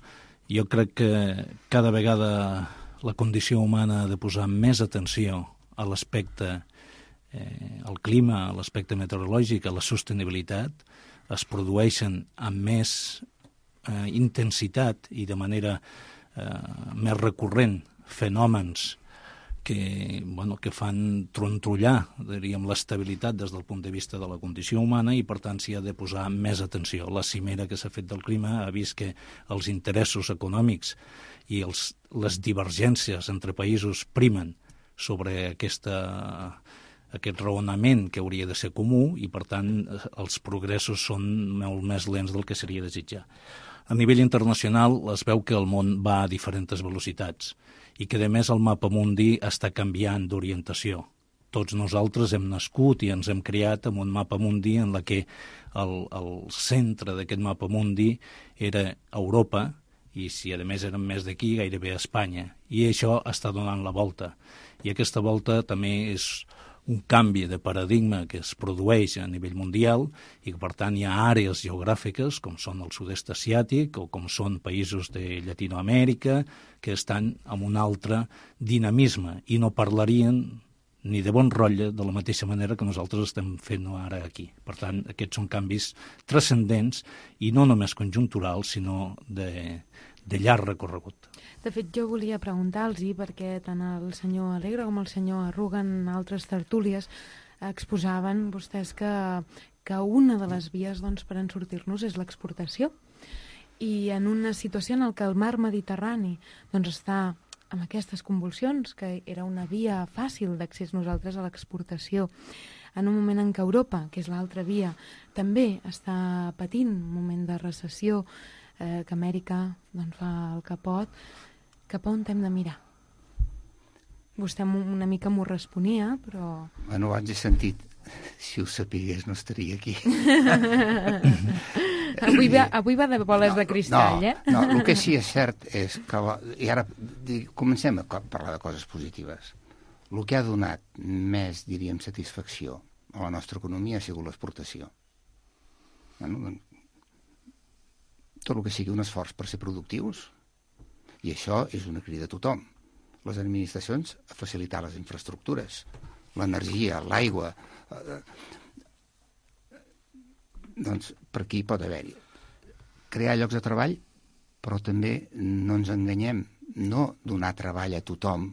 Jo crec que cada vegada la condició humana ha de posar més atenció a l'aspecte, eh, al clima, a l'aspecte meteorològic, a la sostenibilitat. Es produeixen amb més eh, intensitat i de manera eh, més recurrent fenòmens que, bueno, que fan trontrollar, diríem, l'estabilitat des del punt de vista de la condició humana i, per tant, s'hi ha de posar més atenció. La cimera que s'ha fet del clima ha vist que els interessos econòmics i els, les divergències entre països primen sobre aquesta, aquest raonament que hauria de ser comú i, per tant, els progressos són molt més lents del que seria desitjar. A nivell internacional es veu que el món va a diferents velocitats i que, a més, el mapa mundi està canviant d'orientació. Tots nosaltres hem nascut i ens hem criat amb un mapa mundi en la que el, el centre d'aquest mapa mundi era Europa i, si a més érem més d'aquí, gairebé a Espanya. I això està donant la volta. I aquesta volta també és un canvi de paradigma que es produeix a nivell mundial i que, per tant, hi ha àrees geogràfiques, com són el sud-est asiàtic o com són països de Llatinoamèrica, que estan amb un altre dinamisme i no parlarien ni de bon rotlle de la mateixa manera que nosaltres estem fent ara aquí. Per tant, aquests són canvis transcendents i no només conjunturals, sinó de, de llarg recorregut. De fet, jo volia preguntar-los, perquè tant el senyor Alegre com el senyor Arruga en altres tertúlies exposaven vostès que, que una de les vies doncs, per en sortir-nos és l'exportació. I en una situació en què el mar Mediterrani doncs, està amb aquestes convulsions, que era una via fàcil d'accés nosaltres a l'exportació, en un moment en què Europa, que és l'altra via, també està patint un moment de recessió, eh, que Amèrica doncs, fa el que pot, cap a on hem de mirar? Vostè una mica m'ho responia, però... Bueno, abans he sentit, si ho sapigués no estaria aquí. Avui va, avui va de boles no, de cristall, no, eh? No, el que sí és cert és que... La, I ara comencem a parlar de coses positives. El que ha donat més, diríem, satisfacció a la nostra economia ha sigut l'exportació. Bueno, tot el que sigui un esforç per ser productius, i això és una crida a tothom. Les administracions a facilitar les infraestructures, l'energia, l'aigua... Eh, doncs per aquí pot haver-hi. Crear llocs de treball, però també no ens enganyem, no donar treball a tothom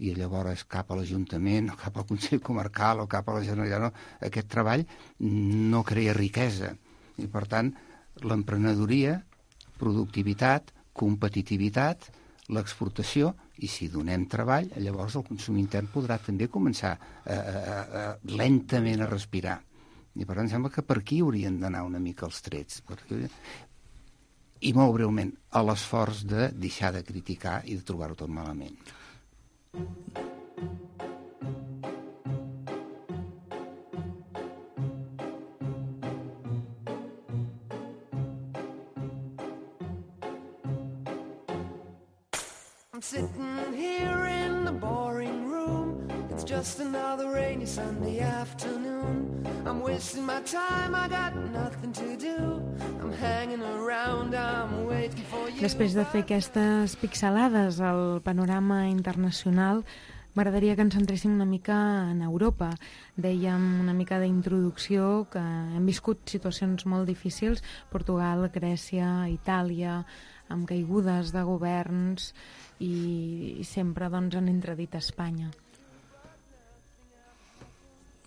i llavors cap a l'Ajuntament o cap al Consell Comarcal o cap a la Generalitat. No. Aquest treball no crea riquesa i, per tant, l'emprenedoria, productivitat, competitivitat, l'exportació, i si donem treball, llavors el consum intern podrà també començar a, a, a, lentament a respirar. I per tant sembla que per aquí haurien d'anar una mica els trets. Perquè... I molt breument, a l'esforç de deixar de criticar i de trobar-ho tot malament. I'm sitting here in the boring room. It's just another rainy Sunday afternoon. I'm wasting my time, I got nothing to do. I'm hanging around, I'm waiting for you. Després de fer aquestes pixelades al panorama internacional, m'agradaria que ens centréssim una mica en Europa. Dèiem una mica d'introducció, que hem viscut situacions molt difícils, Portugal, Grècia, Itàlia, amb caigudes de governs i, i sempre doncs, han entredit a Espanya.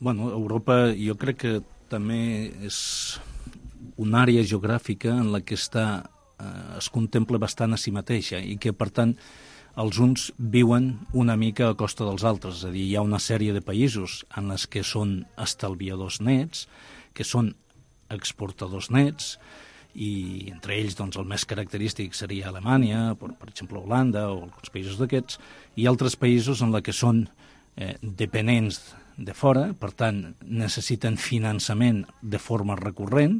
Bueno, Europa jo crec que també és una àrea geogràfica en la que està, eh, es contempla bastant a si mateixa i que, per tant, els uns viuen una mica a costa dels altres. És a dir, hi ha una sèrie de països en les que són estalviadors nets, que són exportadors nets, i entre ells doncs, el més característic seria Alemanya, per, per exemple Holanda o els països d'aquests, i altres països en la que són eh, dependents de fora, per tant necessiten finançament de forma recurrent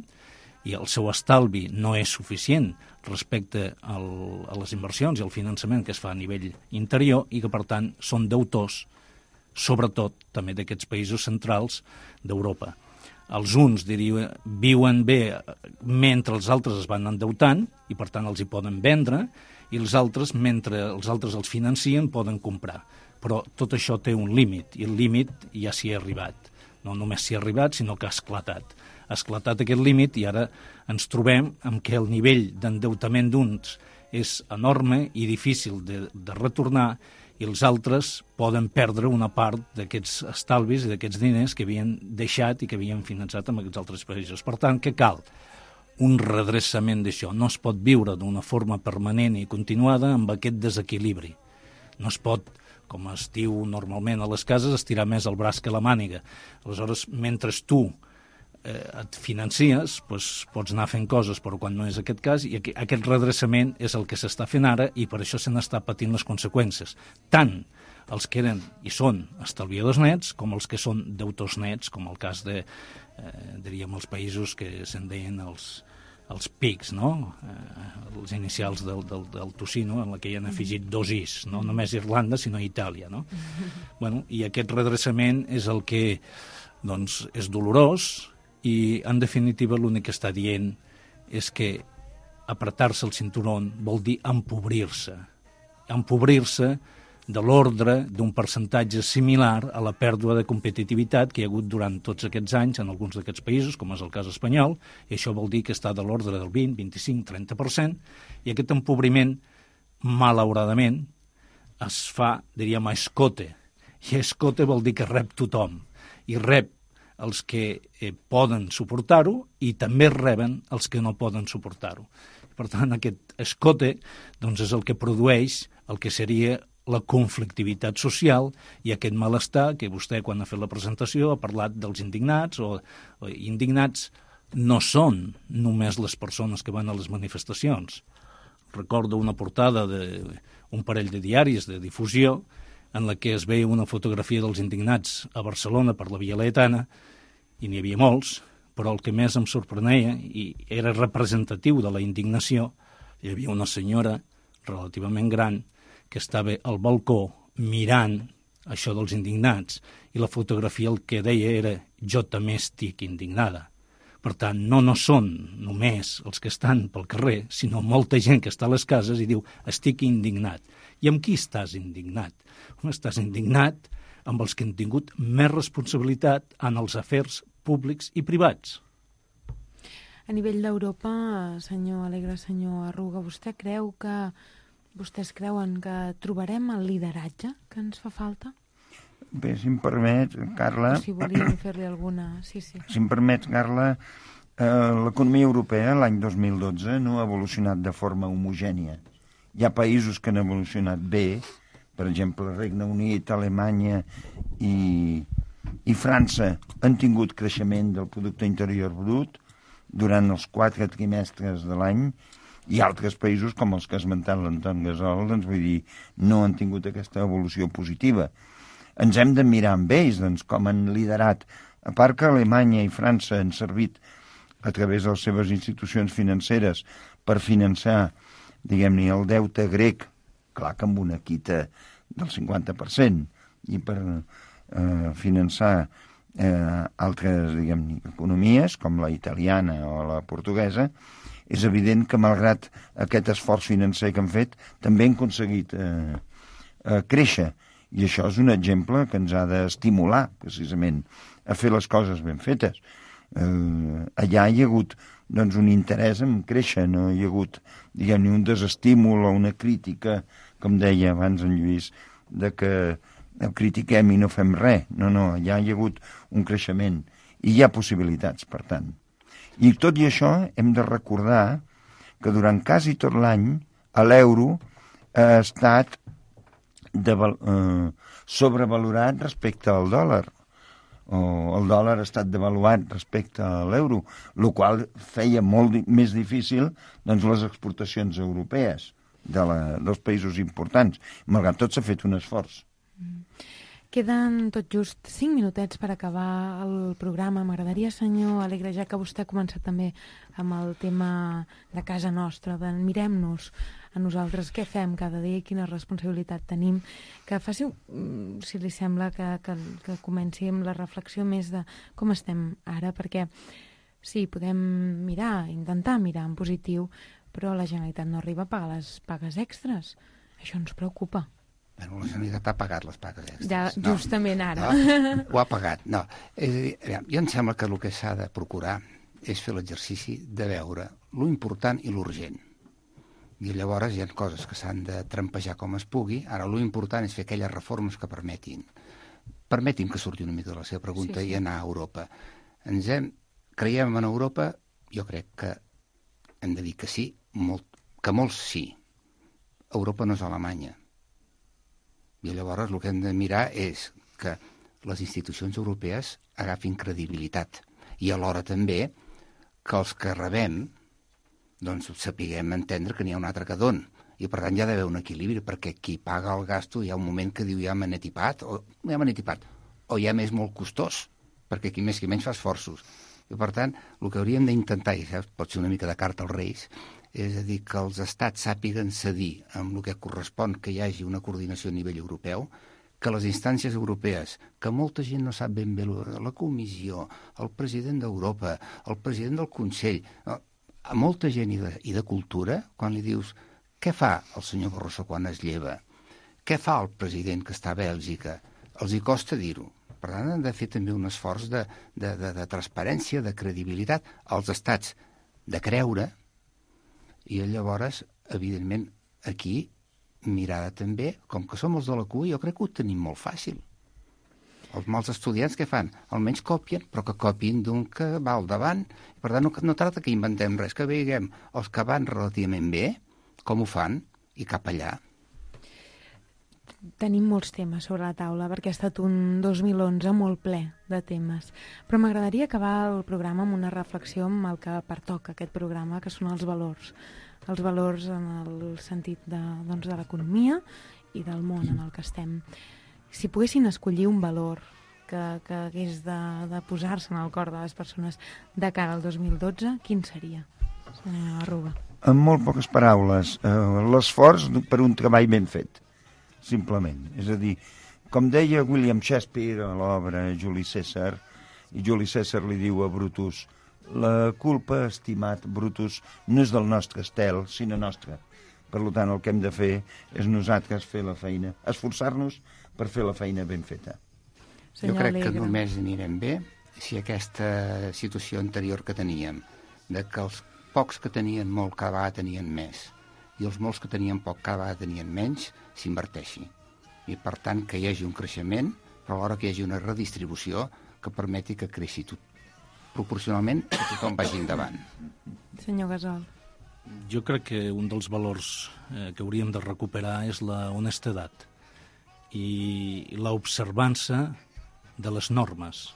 i el seu estalvi no és suficient respecte al, a les inversions i al finançament que es fa a nivell interior i que per tant són deutors, sobretot també d'aquests països centrals d'Europa. Els uns diria, viuen bé mentre els altres es van endeutant i per tant els hi poden vendre i els altres, mentre els altres els financien, poden comprar. Però tot això té un límit, i el límit ja s'hi ha arribat. No només s'hi ha arribat, sinó que ha esclatat. Ha esclatat aquest límit i ara ens trobem amb que el nivell d'endeutament d'uns és enorme i difícil de, de retornar i els altres poden perdre una part d'aquests estalvis i d'aquests diners que havien deixat i que havien finançat amb aquests altres països. Per tant, què cal? Un redreçament d'això. No es pot viure d'una forma permanent i continuada amb aquest desequilibri. No es pot, com es diu normalment a les cases, estirar més el braç que la màniga. Aleshores, mentre tu eh, et financies, doncs, pots anar fent coses, però quan no és aquest cas, i aquest redreçament és el que s'està fent ara i per això se n'està patint les conseqüències. Tant els que eren i són estalviadors nets com els que són deutors nets, com el cas de, eh, diríem, els països que se'n deien els, els pics, no? Eh, els inicials del, del, del Tocino, en la que hi han afegit dos is, no només Irlanda, sinó Itàlia, no? Bueno, i aquest redreçament és el que, doncs, és dolorós i, en definitiva, l'únic que està dient és que apretar-se el cinturón vol dir empobrir-se. Empobrir-se de l'ordre d'un percentatge similar a la pèrdua de competitivitat que hi ha hagut durant tots aquests anys en alguns d'aquests països, com és el cas espanyol, i això vol dir que està de l'ordre del vint, vint-i-cinc, trenta per cent, i aquest empobriment, malauradament, es fa, diríem, a escote, i escote vol dir que rep tothom, i rep els que eh, poden suportar-ho i també reben els que no poden suportar-ho. Per tant, aquest escote doncs, és el que produeix el que seria la conflictivitat social i aquest malestar que vostè, quan ha fet la presentació, ha parlat dels indignats o, o indignats no són només les persones que van a les manifestacions. Recordo una portada d'un parell de diaris de difusió en la que es veia una fotografia dels indignats a Barcelona per la Via Laietana, i n'hi havia molts, però el que més em sorprenia, i era representatiu de la indignació, hi havia una senyora relativament gran que estava al balcó mirant això dels indignats, i la fotografia el que deia era «jo també estic indignada». Per tant, no no són només els que estan pel carrer, sinó molta gent que està a les cases i diu «estic indignat». I amb qui estàs indignat? Estàs indignat amb els que han tingut més responsabilitat en els afers públics i privats. A nivell d'Europa, senyor Alegre, senyor Arruga, vostè creu que vostès creuen que trobarem el lideratge que ens fa falta? Bé, si em permet, Carla... O si volíem fer-li alguna... Sí, sí. Si em permet, Carla, eh, l'economia europea l'any dos mil dotze no ha evolucionat de forma homogènia. Hi ha països que han evolucionat bé, per exemple, el Regne Unit, Alemanya i, i França han tingut creixement del producte interior brut durant els quatre trimestres de l'any, i altres països, com els que ha esmentat l'Anton Gasol, doncs vull dir, no han tingut aquesta evolució positiva. Ens hem de mirar amb ells, doncs, com han liderat. A part que Alemanya i França han servit a través de les seves institucions financeres per finançar, diguem-ne, el deute grec, clar que amb una quita del cinquanta per cent, i per eh, finançar eh, altres, diguem-ne, economies, com la italiana o la portuguesa, és evident que, malgrat aquest esforç financer que han fet, també han aconseguit eh, eh, créixer. I això és un exemple que ens ha d'estimular, precisament, a fer les coses ben fetes. Eh, allà hi ha hagut doncs, un interès en créixer, no hi ha hagut, diguem-ne, un desestímul o una crítica, com deia abans en Lluís, de que critiquem i no fem res. No, no, allà hi ha hagut un creixement i hi ha possibilitats, per tant. I tot i això hem de recordar que durant quasi tot l'any l'euro ha estat de, eh, sobrevalorat respecte al dòlar, o el dòlar ha estat devaluat respecte a l'euro, el qual feia molt més difícil doncs, les exportacions europees de la, dels països importants. Malgrat tot s'ha fet un esforç. Mm. Queden tot just cinc minutets per acabar el programa. M'agradaria, senyor Alegre, ja que vostè ha començat també amb el tema de casa nostra, de mirem-nos a nosaltres què fem cada dia i quina responsabilitat tenim, que faci, si li sembla, que, que, que comenci amb la reflexió més de com estem ara, perquè sí, podem mirar, intentar mirar en positiu, però la Generalitat no arriba a pagar les pagues extres. Això ens preocupa. Bueno, la Generalitat ha pagat les pagues extres. Ja, justament no, ara. No, ho ha pagat, no. És a dir, jo em sembla que el que s'ha de procurar és fer l'exercici de veure lo important i l'urgent. I llavors hi ha coses que s'han de trampejar com es pugui. Ara, lo important és fer aquelles reformes que permetin. Permetin que surti una mica de la seva pregunta sí, sí. i anar a Europa. Ens hem, creiem en Europa? Jo crec que hem de dir que sí, molt, que molts sí. Europa no és Alemanya. I llavors el que hem de mirar és que les institucions europees agafin credibilitat i alhora també que els que rebem doncs sapiguem entendre que n'hi ha un altre que don. I per tant hi ha d'haver un equilibri, perquè qui paga el gasto hi ha un moment que diu ja m'han etipat, o ja m'han etipat, o ja m'és molt costós, perquè qui més qui menys fa esforços. I, per tant, el que hauríem d'intentar, i saps, pot ser una mica de carta als Reis, és a dir, que els estats sàpiguen cedir amb el que correspon que hi hagi una coordinació a nivell europeu, que les instàncies europees, que molta gent no sap ben bé, la Comissió, el president d'Europa, el president del Consell, a molta gent i de, i de cultura, quan li dius què fa el senyor Barroso quan es lleva, què fa el president que està a Bèlgica, els hi costa dir-ho. Per tant, han de fer també un esforç de, de, de, de transparència, de credibilitat als estats, de creure, i llavors, evidentment, aquí mirada també, com que som els de la cua, jo crec que ho tenim molt fàcil. Els mals estudiants què fan? Almenys copien, però que copien d'un que va al davant. Per tant, no, no tracta que inventem res, que veiem els que van relativament bé, com ho fan, i cap allà. Tenim molts temes sobre la taula, perquè ha estat un dos mil onze molt ple de temes. Però m'agradaria acabar el programa amb una reflexió amb el que pertoca aquest programa, que són els valors. Els valors en el sentit de, doncs, de l'economia i del món en el que estem. Si poguessin escollir un valor que, que hagués de, de posar-se en el cor de les persones de cara al dos mil dotze, quin seria, senyora Arruga? En molt poques paraules, eh, l'esforç per un treball ben fet, simplement. És a dir, com deia William Shakespeare a l'obra Juli Cèsar, i Juli Cèsar li diu a Brutus: la culpa, estimat Brutus, no és del nostre estel, sinó nostra. Per tant, el que hem de fer és nosaltres fer la feina, esforçar-nos per fer la feina ben feta. Jo crec que només anirem bé si aquesta situació anterior que teníem, de que els pocs que tenien molt cada vegada tenien més, i els molts que tenien poc cada vegada tenien menys, s'inverteixi. I, per tant, que hi hagi un creixement, però alhora que hi hagi una redistribució que permeti que creixi tot proporcionalment que tothom vagi endavant. Senyor Gasol. Jo crec que un dels valors eh, que hauríem de recuperar és la honestedat i l'observança de les normes.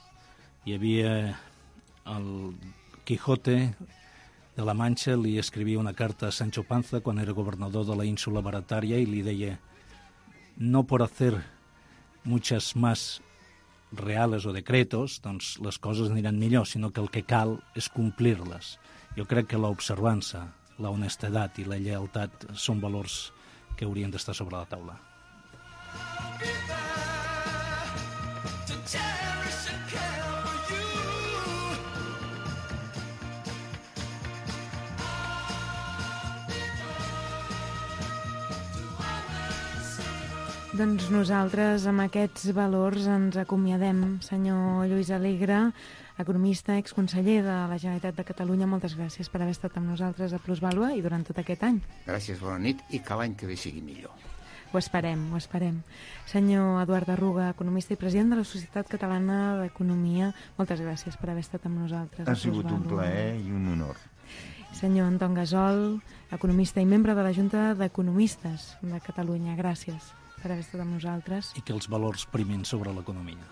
Hi havia el Quijote de la Mancha, li escrivia una carta a Sancho Panza quan era gobernador de la ínsula Barataria i li deia: no por hacer muchas más reales o decretos, doncs les coses aniran millor, sinó que el que cal és complir-les. Jo crec que l'observança, la honestedat i la lleialtat són valors que haurien d'estar sobre la taula. Doncs nosaltres amb aquests valors ens acomiadem. Senyor Lluís Alegre, economista, exconseller de la Generalitat de Catalunya, moltes gràcies per haver estat amb nosaltres a Plusvàlua i durant tot aquest any. Gràcies, bona nit, i que l'any que ve sigui millor. Ho esperem, ho esperem. Senyor Eduard Arruga, economista i president de la Societat Catalana d'Economia, moltes gràcies per haver estat amb nosaltres. Ha sigut un plaer i un honor. Senyor Anton Gasol, economista i membre de la Junta d'Economistes de Catalunya, gràcies per haver estat amb nosaltres. I que els valors primin sobre l'economia.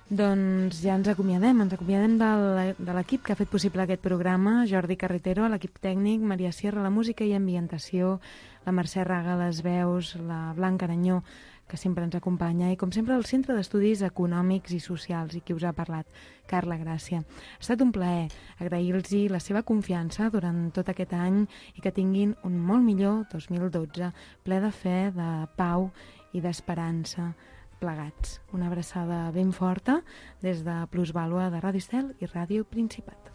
Doncs ja ens acomiadem, ens acomiadem de l'equip que ha fet possible aquest programa, Jordi Carretero, l'equip tècnic, Maria Sierra, la música i ambientació, la Mercè Raga, les veus, la Blanca Aranyó, que sempre ens acompanya, i com sempre el Centre d'Estudis Econòmics i Socials, i qui us ha parlat, Carla Gràcia. Ha estat un plaer agrair-los la seva confiança durant tot aquest any i que tinguin un molt millor dos mil dotze, ple de fe, de pau i d'esperança plegats. Una abraçada ben forta des de Plusvàlua de Ràdio Estel i Ràdio Principat.